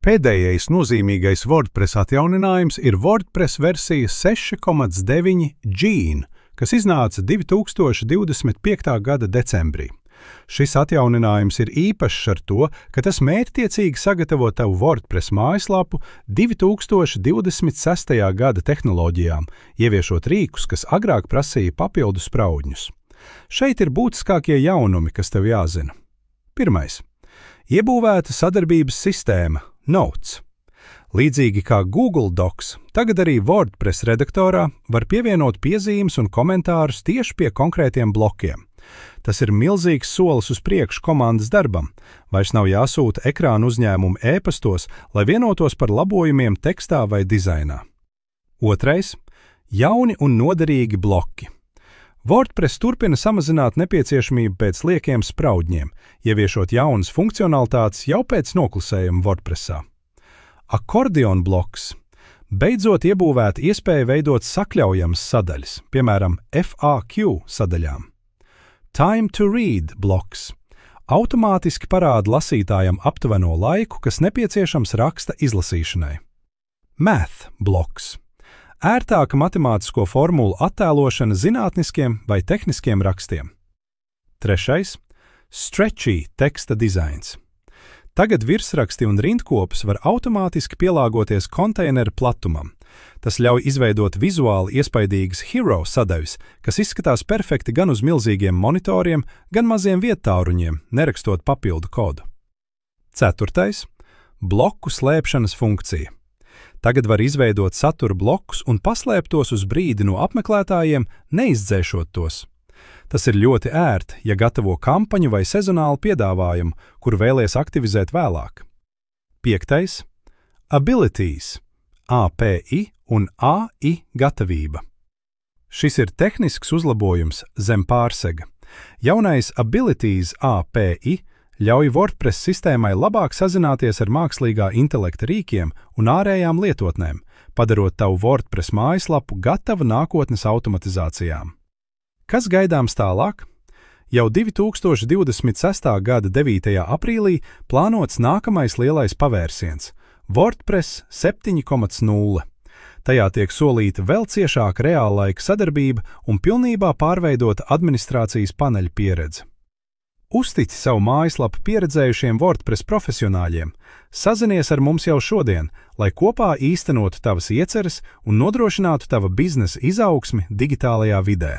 Pēdējais nozīmīgais WordPress atjauninājums ir WordPress versija 6.9 Gene, kas iznāca 2025. gada decembrī. Šis atjauninājums ir īpašs ar to, ka tas mērķtiecīgi sagatavo tavu WordPress mājaslapu 2026. gada tehnoloģijām, ieviešot rīkus, kas agrāk prasīja papildus spraudņus. Šeit ir būtiskākie jaunumi, kas tev jāzina. Pirmais. Iebūvēta sadarbības sistēma Notes. Līdzīgi kā Google Docs, tagad arī WordPress redaktorā var pievienot piezīmes un komentārus tieši pie konkrētiem blokiem. Tas ir milzīgs solis uz priekšu komandas darbam. Vairs nav jāsūta ekrāna uzņēmumu e-pastos, lai vienotos par labojumiem tekstā vai dizainā. Otrais. Jauni un noderīgi bloki. WordPress turpina samazināt nepieciešamību pēc liekiem spraudņiem, ieviešot jaunas funkcionalitātes jau pēc noklusējuma WordPressā. Akordeon bloks. Beidzot iebūvēta iespēja veidot sakļaujamas sadaļas, piemēram, FAQ sadaļām. Time to read bloks. Automātiski parāda lasītājam aptuveno laiku, kas nepieciešams raksta izlasīšanai. Math bloks. Ērtāka matemātisko formulu attēlošana zinātniskiem vai tehniskiem rakstiem. Trešais. Stretchy teksta dizains. Tagad virsraksti un rindkopus var automātiski pielāgoties konteineru platumam. Tas ļauj izveidot vizuāli iespaidīgas hero sadaļas, kas izskatās perfekti gan uz milzīgiem monitoriem, gan maziem viettāruņiem, nerakstot papildu kodu. Ceturtais. Bloku slēpšanas funkcija. Tagad var izveidot satura blokus un paslēpt tos uz brīdi no apmeklētājiem, neizdzēšot tos. Tas ir ļoti ērti, ja gatavo kampaņu vai sezonālu piedāvājumu, kuru vēlies aktivizēt vēlāk. Piektais. Abilities. API un AI gatavība. Šis ir tehnisks uzlabojums zem pārsega. Jaunais Abilities API ļauj WordPress sistēmai labāk sazināties ar mākslīgā intelekta rīkiem un ārējām lietotnēm, padarot tavu WordPress mājaslapu gatavu nākotnes automatizācijām. Kas gaidāms tālāk? Jau 2026. gada 9. aprīlī plānots nākamais lielais pavērsiens – WordPress 7.0. Tajā tiek solīta vēl ciešāka reāllaika sadarbība un pilnībā pārveidota administrācijas paneļa pieredze. Uztici savu mājaslapu pieredzējušiem WordPress profesionāļiem, sazinies ar mums jau šodien, lai kopā īstenotu tavas ieceres un nodrošinātu tava biznesa izaugsmi digitālajā vidē.